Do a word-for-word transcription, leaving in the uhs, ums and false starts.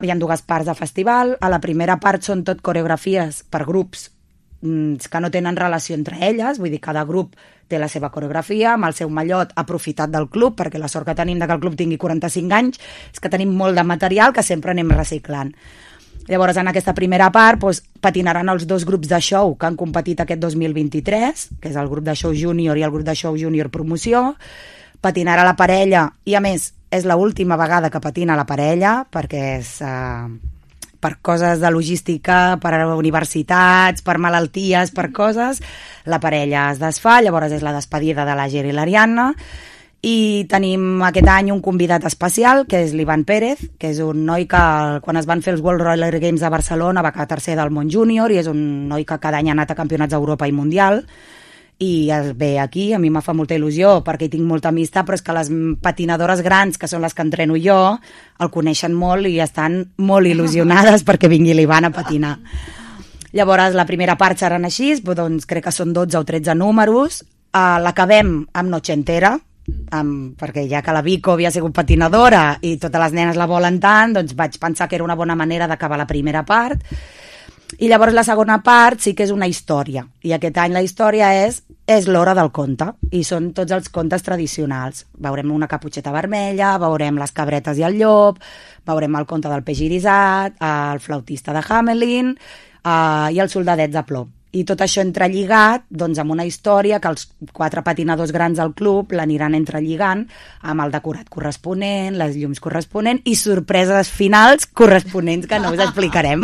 Hi ha dues parts de festival. A la primera part són tot coreografies per grups que no tenen relació entre elles, vull dir, cada grup té la seva coreografia, amb el seu mallot aprofitat del club, perquè la sort que tenim de que el club tingui quaranta-cinc anys és que tenim molt de material que sempre anem reciclant. Llavors, en aquesta primera part, doncs, patinaran els dos grups de show que han competit aquest dos mil vint-i-tres, que és el grup de show júnior i el grup de show júnior promoció. Patinarà la parella, i a més, és l'última vegada que patina la parella, perquè és... Eh, per coses de logística, per universitats, per malalties, per coses, la parella es desfà, llavors és la despedida de l'Àger i l'Ariadna, i tenim aquest any un convidat especial, que és l'Ivan Pérez, que és un noi que, quan es van fer els World Roller Games de Barcelona, va quedar tercer del món júnior, i és un noi que cada any ha anat a campionats d'Europa i Mundial, i es ve aquí, a mi me fa molta il·lusió perquè hi tinc molta amistat, però és que les patinadores grans, que són les que entreno jo, el coneixen molt i estan molt il·lusionades perquè vingui l'Ivan a patinar. Llavors, la primera part seran així, doncs crec que són dotze o tretze números, uh, l'acabem amb Noche Entera, amb, perquè ja que la Vico havia sigut patinadora i totes les nenes la volen tant, doncs vaig pensar que era una bona manera d'acabar la primera part. I llavors la segona part sí que és una història, i aquest any la història és és l'hora del conte, i són tots els contes tradicionals. Veurem una caputxeta vermella, veurem les cabretes i el llop, veurem el conte del peix irisat, el flautista de Hamelin eh, i els soldadets de plom. I tot això entrelligat doncs, amb una història que els quatre patinadors grans del club l'aniran entrelligant amb el decorat corresponent, les llums corresponents i sorpreses finals corresponents que no us explicarem.